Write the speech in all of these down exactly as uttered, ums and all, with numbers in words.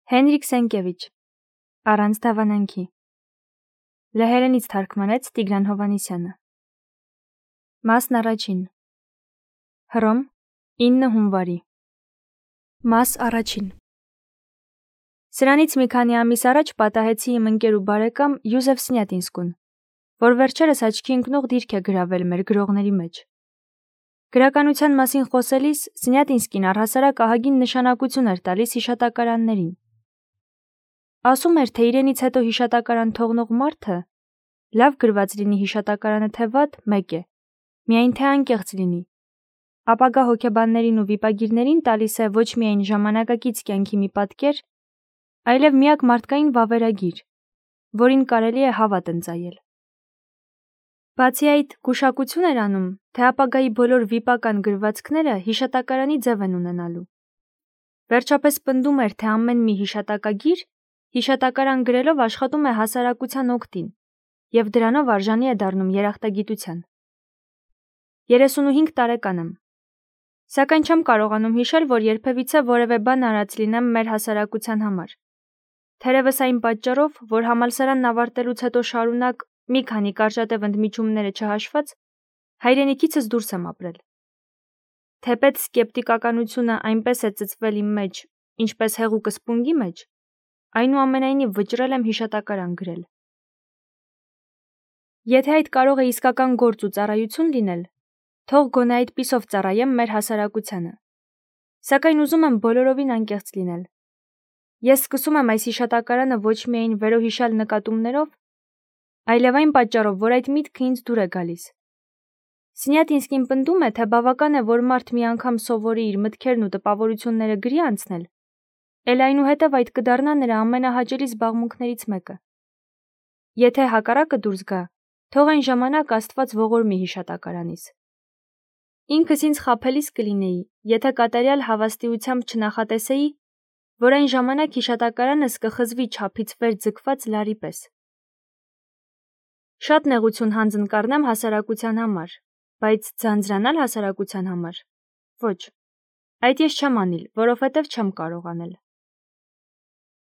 Հենրիկ Սենկևիչ, Առանց դավանանքի, լեհերենից թարգմանեց Տիգրան Հովհաննիսյանը։ Մասն առաջին, Հռոմ, ինը հունվարի։ Մաս առաջին։ Սրանից մի քանի ամիս առաջ պատահեցի իմ ընկեր ու բարեկամ Յուզեֆ Սնյատինսկուն, որ վերջերս աչքի ընկնող դիրք է գրավել մեր գրողների մեջ։ Գրականության մասին խոսելիս Սնյատինսկին առհասարակ ահագին նշանակություն էր տալիս հիշատակարաններին։ Ասում էր, թե իրենից հետո հիշատակարան թողնող մարդը, լավ գրված լինի հիշատակարանը թե վատ, մեկ է, միայն թե անկեղծ լինի, ապագա հոգեբաններին ու վիպագիրներին տալիս է ոչ միայն ժամանակակից կյանքի մի պատկեր, այլև միակ մարդկային վավերագիր, որին կարելի է հավատ ընծայել։ Բացի այդ, գուշակություն էր անում, թե ապագայի բոլոր վիպական գրվածքները հիշատակարանի ձև են ունենալու։ Վերջապես պնդում էր, թե ամեն մի հիշատակագիր հիշատակարան գրելով աշխատում է հասարակության օգտին և դրանով արժանի է դառնում երախտագիտության։ երեսունհինգ տարեկան եմ, սակայն չեմ կարողանում հիշել, որ երբևիցե որևէ բան արած լինեմ մեր հասարակության համար։ Թերևս այն պատճառով, որ համալսարանն ավարտելուց հետո շարունակ մի քանի կարճատև ընդմիջումները չհաշված, հայրենիքիցս դուրս եմ ապրել։ Թեպետ սկեպտիկականությունը այնպես է ծծվել իմ մեջ, ինչպես հեղուկը սպունգի մեջ, այնուամենայնիվ վճռել եմ հիշատակարան գրել։ Եթե այդ կարող է իսկական գործ ու ծառայություն լինել, թող գոնե այդպիսով ծառայեմ մեր հասարակությանը։ Սակայն ուզում եմ բոլորովին անկեղծ լինել։ Ես սկսում եմ այս հիշատակարանը ոչ միայն վերոհիշյալ նկատումներով, այլև այն պատճառով, որ այդ միտքը ինձ դուր է գալիս։ Սնյատինսկին պնդում է, թե բավական է, որ մարդ մի անգամ սովորի իր մտքերն ու տպավորությունները գրի անցնել, էլ այնուհետև այդ կդառնա նրա ամենահաճելի զբաղմունքներից մեկը։ Եթե հակառակը դուրս գա, թող այն ժամանակ Աստված ողորմի հիշատակարանիս։ Ինքս ինձ խաբելիս կլինեի, եթե կատարյալ հավաստիությամբ չնախատեսեի, որ այն ժամանակ հիշատակարանս կխզվի չափից վեր ձգված լարի պես։ Շատ նեղություն հանձն կառնեմ հասարակության համար, բայց ձանձրանալ հասարակության համար՝ ոչ, այդ ես չեմ անիլ, որովհետև չեմ կարող անել։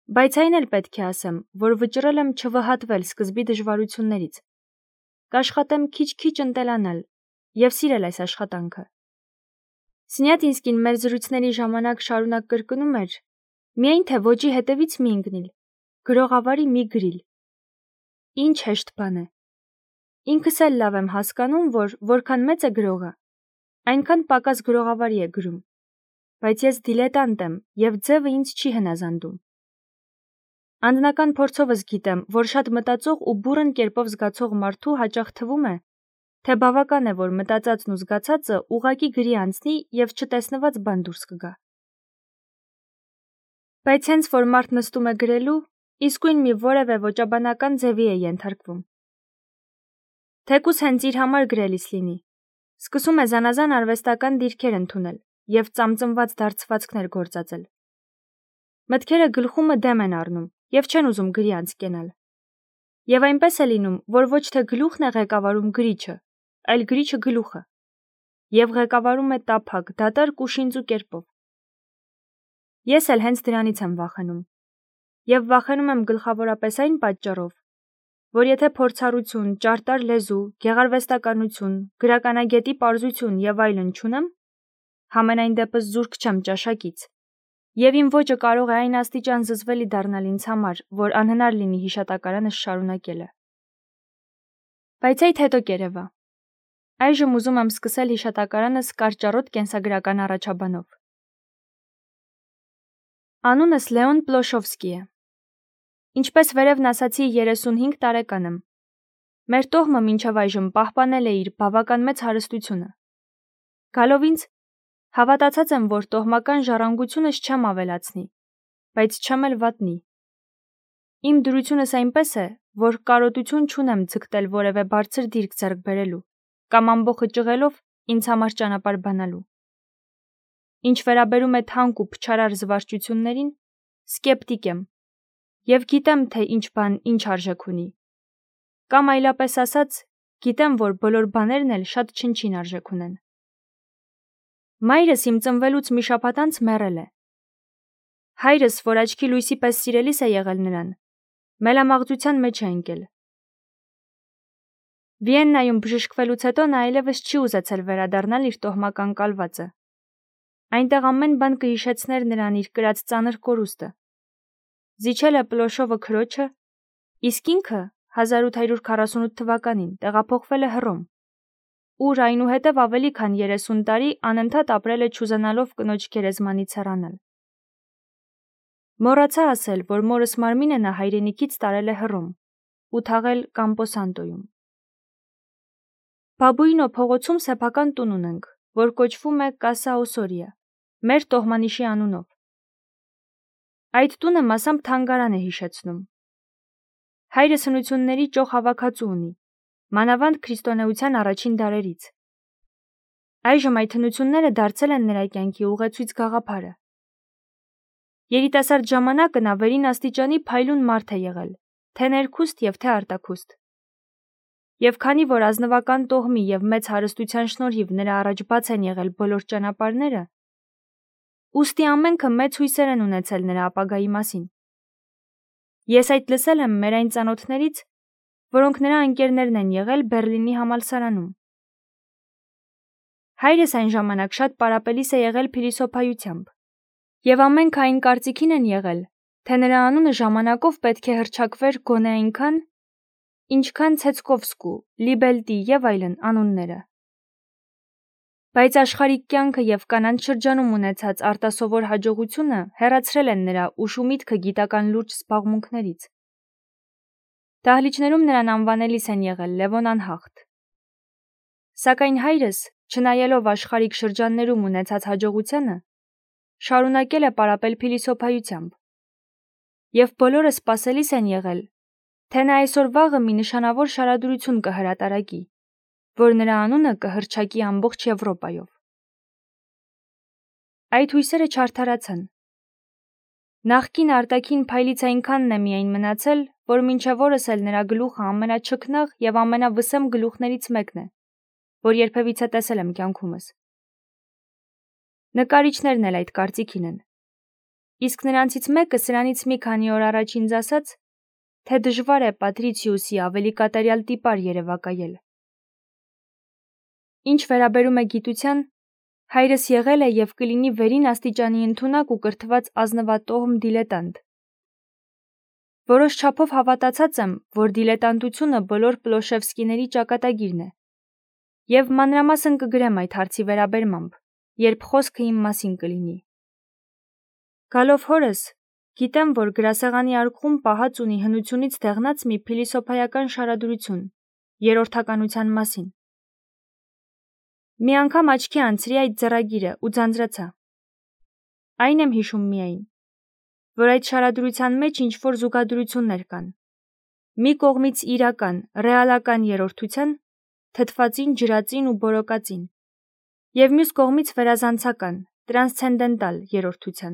Բայց այն էլ պետք է ասեմ, որ վճռել եմ չվհատվել սկզբի դժվարություններից, կաշխատեմ քիչ-քիչ ընտելանալ և սիրել այս աշխատանքը։ Սնյատինսկին մեր զրույցների ժամանակ շարունակ կրկնում էր. միայն թե ոճի հետևից մի ընկնիլ, գրողավարի մի գրիլ։ Ինչ հեշտ բան է։ Ինքս էլ լավ եմ հասկանում, որ որքան մեծ է գրողը, այնքան պակաս գրողավարի է գրում, բայց ես դիլետանտ եմ և ձևը ինձ չի հնազանդում։ Անձնական փորձովս գիտեմ, որ շատ մտածող ու բուռն կերպով զգացող մարդու հաճախ թվում է, թե բավական է, որ մտածածն ու զգացածը ուղղակի գրի անցնի և չտեսնված բան դուրս կգա։ Բայց հենց որ մարդ նստում է գրելու, իսկույն մի որևէ ոճաբանական ձևի է ենթարկվում։ Թեկուզ հենց իր համար գրելիս լինի, սկսում է զանազան արվեստական դիրքեր ընդունել և ծամծմված դարձվածքներ գործածել։ Մտքերը գլխումը դեմ են առնում և չեն ուզում գրի անց կենալ։ Եվ այնպես է լինում, որ ոչ թե գլուխն է ղեկավարում գրիչը, այլ գրիչը գլուխը, և ղեկավարում է տափակ, դատարկ ու շինծու կերպով։ Ես էլ հենց դրանից եմ վախենում։ Եվ վախենում եմ գլխավորապես այն պատճառով, որ եթե փորձառություն, ճարտար լեզու, գեղարվեստականություն, գրականագետի պարզություն և այլն չունեմ, համենայն դեպս զուրկ չեմ ճաշակից, և իմ ոճը կարող է այն աստիճան զզվելի դառնալ ինձ համար, որ անհնար լինի հիշատակարանս շարունակելը։ Բայց այդ հետո կերևա։ Այժմ ուզում եմ սկսել հիշատակարանս կարճառոտ կենսագրական առաջաբանով։ Անունս Լեոն Պլոշովսկի է։ Ինչպես վերևն ասացի, երեսունհինգ տարեկան եմ։ Մեր տոհմը մինչև այժմ պահպանել է իր բավական մեծ հարստությունը։ Գալով ինձ, հավատացած եմ, որ տոհմական ժառանգությունս չեմ ավելացնի, բայց չեմ էլ վատնի։ Իմ դրությունս այնպես է, որ կարոտություն չունեմ ձգտել որևէ բարձր դիրք ձեռք բերելու կամ ամբոխը ճղելով ինձ համար ճանապարհ բանալու։ Ինչ վերաբերում է թանկ ու փչարար զվարճություններին, սկեպտիկ եմ և գիտեմ, թե ինչ բան ինչ արժեք ունի, կամ այլապես ասած, գիտեմ, որ բոլոր բաներն էլ շատ չնչին արժեք ունեն։ Մայրս իմ ծնվելուց մի շաբաթ անց մեռել է։ Հայրս, որ աչքի լույսի պես սիրելիս է եղել նրան, մելամաղձության մեջ է ընկել։ Վիեննայում բժշկվելուց հետո նա այլևս չի ուզեցել վերադառնալ իր տոհմական կալվածը։ Այնտեղ ամեն բան կհիշեցներ նրան իր կրած ծանր կորուստը։ Զիջել է Պլոշովը քրոջը, իսկ ինքը հազար ութ հարյուր քառասունութ թվականին տեղափոխվել է Հռոմ, ուր այնուհետև ավելի քան երեսուն տարի անընդհատ ապրել է չուզենալով կնոջ գերեզմանից հեռանալ։ Մոռացա ասել, որ մորս մարմինը նա հայրենիքից տարել է Հռոմ ու թաղել Կամպոսանտոյում։ Բաբուինո փողոցում սեփական տուն ունենք, որ կոչվում է Կասա Օսորիա, մեր տոհմանիշի անունով։ Այդ տունը մասամբ թանգարան է հիշեցնում։ Հայրը սնությունների ճոխ հավաքածու ունի, մանավանդ քրիստոնեության առաջին դարերից։ Այժմ այդ հնությունները դարձել են նրա կյանքի ուղեցույց գաղափարը։ Երիտասարդ ժամանակը նա վերին աստիճանի փայլուն մարդ է եղել, թե ներքուստ և թե արտաքուստ։ Եվ քանի որ ազնվական տոհմի և մեծ հարստության շնորհիվ նրա առաջ բաց են եղել բոլոր ճանապարհները, ուստի ամենքը մեծ հույսեր են ունեցել նրա ապագայի մասին։ Ես այդ լսել եմ մեր այն ծանոթներից, որոնք նրա ընկերներն են եղել Բեռլինի համալսարանում։ Հայրս այն ժամանակ շատ պարապելիս է եղել փիլիսոփայությամբ, և ամենքը այն կարծիքին են եղել, թե նրա անունը ժամանակով պետք է հռչակվեր գոնե այնքան, ինչքան Ցեցկովսկու, Լիբելտի և այլն անունները։ Բայց աշխարհիկ կյանքը և կանանց շրջանում ունեցած արտասովոր հաջողությունը հեռացրել են նրա ուշ ու միտքը գիտական լուրջ զբաղմունքներից։ Դահլիճներում նրան անվանելիս են եղել Լևոն Անհախտ։ Սակայն հայրս, չնայելով աշխարհիկ շրջաններում ունեցած հաջողությանը, շարունակել է պարապել փիլիսոփայությամբ։ Եվ բոլորը սպասելիս են եղել, թե նա այսօր-վաղը մի նշանավոր շարադրություն կհրատարակի, որ նրա անունը կհռչակի ամբողջ Եվրոպայով։ Այդ հույսերը չարդարացան։ Նախկին արտաքին փայլից այնքանն է միայն մնացել, որ մինչև օրս էլ նրա գլուխը ամենաչքնաղ և ամենավսեմ գլուխներից մեկն է, որ երբևիցե տեսել եմ կյանքումս։ Նկարիչներն էլ այդ կարծիքին են։ Իսկ նրանցից մեկը սրանից մի քանի օր առաջ ինձ ասաց, թե դժվար է Պատրիցիուսի ավելի կատարյալ տիպար երևակայել։ Ինչ վերաբերում է գիտության, հայրս եղել է և կլինի վերին աստիճանի ընդունակ ու կրթված ազնվատոհմ դիլետանտ։ Որոշ չափով հավատացած եմ, որ դիլետանտությունը բոլոր Պլոշևսկիների ճակատագիրն է, և մանրամասն կգրեմ այդ հարցի վերաբերմամբ, երբ խոսքը իմ մասին կլինի։ Գալով հորս, գիտեմ, որ գրասեղանի արկղում պահած ունի հնությունից դեղնած մի փիլիսոփայական շարադրություն երրորդականության մասին։ Մի անգամ աչքի անցրի այդ ձեռագիրը ու ձանձրացա։ Այն եմ հիշում միայն, որ այդ շարադրության մեջ ինչ-որ զուգադրություններ կան։ Մի կողմից իրական, ռեալական երրորդության, թթվածին, ջրածին ու բորոկածին, և մյուս կողմից վերազանցական, տրանսցենդենտալ երրորդության,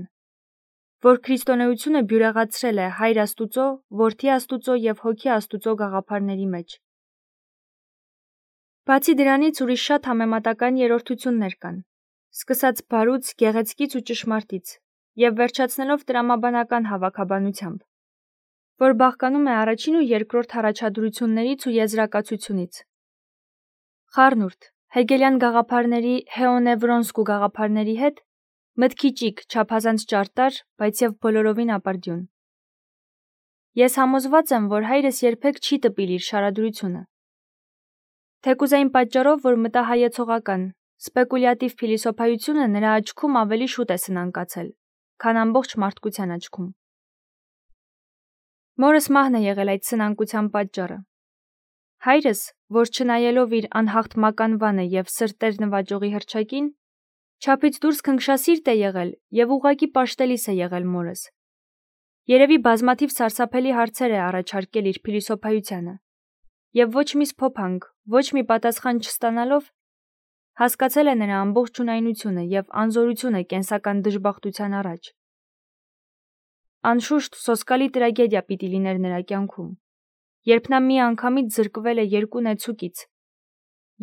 որ քրիստոնեությունը բյուրեղացրել է Հայր Աստուծո, Որդի Աստուծո և Հոգի Աստուծո գաղափարների մեջ։ Բացի դրանից ուրիշ շատ համեմատական երրորդություններ կան, սկսած բարուց, գեղեցկից ու ճշմարտից, և վերջացնելով տրամաբանական հավաքաբանությամբ, որ բաղկանում է առաջին ու երկրորդ առաջադրություններից ու եզրակացությունից։ Խառնուրդ, հեգելյան գաղափարների, հեոնևրոնսկու գաղափարների հետ մտքի ճիգ, չափազանց ճարտար, բայց և բոլորովին ապարդյուն։ Ես համոզված եմ, որ հայրս երբեք չի տպիլ իր շարադրությունը։ Թեկուզ այն պատճառով, որ մտահայեցողական, սպեկուլյատիվ փիլիսոփայությունը նրա աչքում ավելի շուտ է սնանկացել, քան ամբողջ մարդկության աչքում։ Մորս մահն է եղել այդ սնանկության պատճառը։ Հայրս, որ չնայելով իր անհաղթ մականվանը և սրտեր նվաճողի հռչակին, չափից դուրս քնքշասիրտ է եղել և ուղղակի պաշտելիս է եղել մորս։ Երևի բազմաթիվ սարսափելի հարցեր է առաջարկել իր փիլիսոփայությանը, և ոչ մի սփոփանք, ոչ մի պատասխան չստանալով, հասկացել է նրա ամբողջունայնությունը և անզորությունը կենսական դժբախտության առաջ։ Անշուշտ, սոսկալի տրագեդիա պիտի լիներ նրա կյանքում, երբ նա մի անգամից զրկվել է երկու նեցուկից,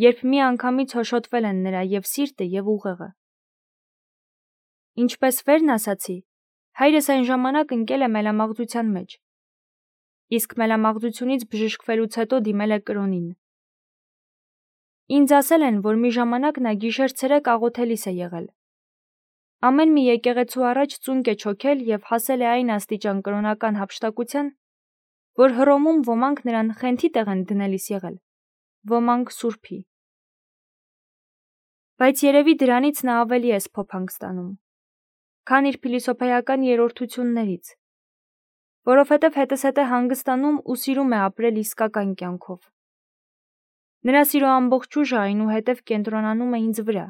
երբ մի անգամից հոշոտվել են նրա և սիրտը և ուղեղը։ Ինչպես վերն ասացի, Հայրս այն ժամանակ ընկել է մելամաղձության մեջ, իսկ մելամաղձությունից բժշկվելուց հետո դիմել է կրոնին։ Ինձ ասել են, որ մի ժամանակ նա գիշեր-ցերեկ աղոթելիս է եղել։ Ամեն մի եկեղեցու առաջ ծունկ է չոքել և հասել է այն աստիճան կրոնական հափշտակության, որ Հռոմում ոմանք նրան խենթի տեղ են դնելիս եղել, ոմանք սուրբի։ Բայց երևի դրանից նա ավելի է սփոփանք ստանում, քան իր փիլիսոփայական երրորդություններից, որովհետև հետզհետե հանգստանում ու սիրում է ապրել իսկական կյանքով։ Նրա սիրո ամբողջ ուժը այնուհետև կենտրոնանում է ինձ վրա,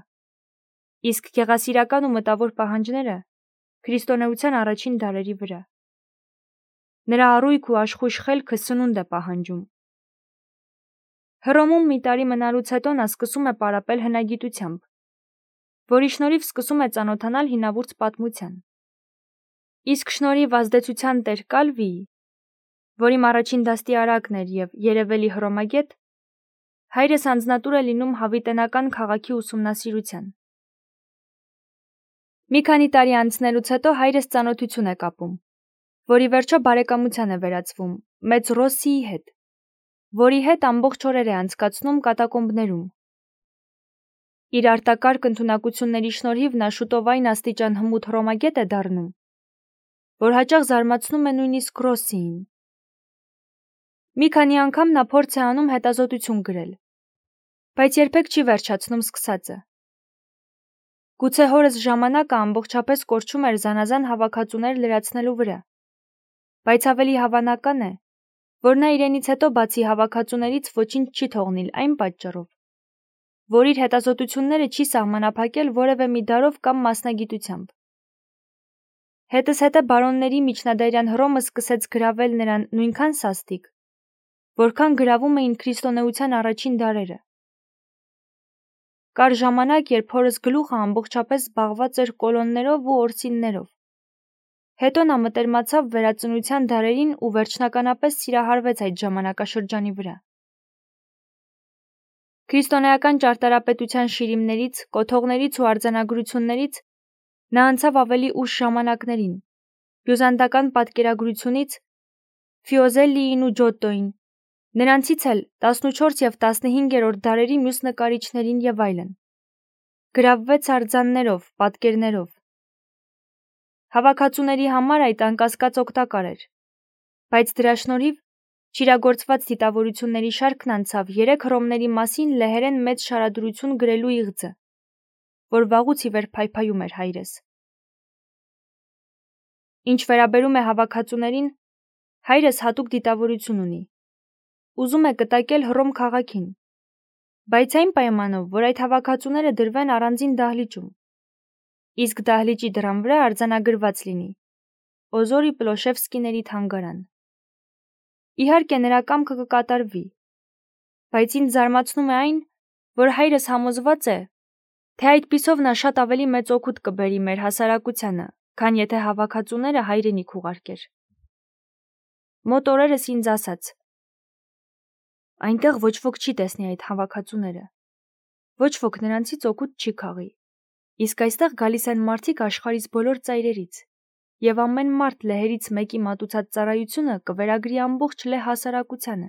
իսկ գեղասիրական ու մտավոր պահանջները քրիստոնեության առաջին դարերի վրա։ Նրա առույգ ու աշխույժ խելքը սնունդ է պահանջում։ Հռոմում մի տարի մնալուց հետո նա սկսում է պարապել հնագիտությամբ, որի շնորհիվ սկսում է ծանոթանալ հինավուրց պատմության։ Իսկ շնորհիվ ազդեցության տեր Կալվիի, որ իմ առաջին դաստիարակն էր և երևելի հռոմագետ, հայրս անձնատուր է լինում հավիտենական քաղաքի ուսումնասիրության։ Մի քանի տարի անցնելուց հետո հայրս ծանոթություն է կապում, որի վերջո բարեկամության է վերածվում մեծ Ռոսսիի հետ, որի հետ ամբողջ օրեր է անցկացնում կատակոմբներում։ Իր արտակարգ ընդունակությունների շնորհիվ նա շուտով այն աստիճան հմուտ հռոմագետ է դառնում, որ հաճախ զարմացնում է նույնիսկ Ռոսսիին։ Մի քանի անգամ նա փորձ է անում հետազոտություն գրել, բայց երբեք չի վերջացնում սկսածը։ Գուցե հորս ժամանակը ամբողջապես կորչում էր զանազան հավաքածուներ լրացնելու վրա, բայց ավելի հավանական է, որ նա իրենից հետո բացի հավաքածուներից ոչինչ չի թողնիլ այն պատճառով, որ իր հետազոտությունները չի սահմանափակել որևէ մի դարով կամ մասնագիտությամբ։ Հետզհետե բարոնների միջնադարյան Հռոմը սկսեց գրավել նրան նույնքան սաստիկ, որքան գրավում էին քրիստոնեության առաջին դարերը։ Կար ժամանակ, երբ հորս գլուխը ամբողջապես զբաղված էր կոլոններով ու օրսիններով։ Հետո նա մտերմացավ վերածնության դարերին ու վերջնականապես սիրահարվեց այդ ժամանակաշրջանի վրա։ Քրիստոնեական ճարտարապետության շիրիմներից, կոթողներից ու արձանագրություններից նա անցավ ավելի ուշ ժամանակներին, բյուզանդական պատկերագրությունից Ֆիոզելլիին ու Ջոտտոին, նրանցից էլ տասնուչորս և տասնհինգերորդ դարերի մյուս նկարիչներին և այլն։ Գրավվեց արձաններով, պատկերներով։ Հավաքածուների համար այդ անկասկած օգտակար էր, բայց դրա շնորհիվ չիրագործված դիտավորությունների շարքն անցավ երեք Հռոմների մասին լեհերեն մեծ շարադրություն գրելու իղձը, որ վաղուց ի վեր փայփայում էր հայրս։ Ինչ վերաբերում է հավաքածուներին, հայրս հատուկ դիտավորություն ունի։ Ուզում է կտակել Հռոմ քաղաքին, բայց այն պայմանով, որ այդ հավաքածուները դրվեն առանձին դահլիճում, իսկ դահլիճի դռան վրա արձանագրված լինի Օզորի Պլոշևսկիների թանգարան։ Իհարկե նրա կամքը կկատարվի, բայց ինձ զարմացնում է այն, որ հայրս համոզված է, թե այդպիսով նա շատ ավելի մեծ օգուտ կբերի մեր հասարակությանը, քան եթե հավաքածուները հայրենիք ուղարկեր։ Մոտ օրերս ինձ ասաց. այնտեղ ոչ ոք չի տեսնի այդ հավաքածուները, ոչ ոք նրանցից օգուտ չի քաղի, իսկ այստեղ գալիս են մարդիկ աշխարհիս բոլոր ծայրերից, և ամեն մարդ լեհերից մեկի մատուցած ծառայությունը կվերագրի ամբողջ լեհ հասարակությանը։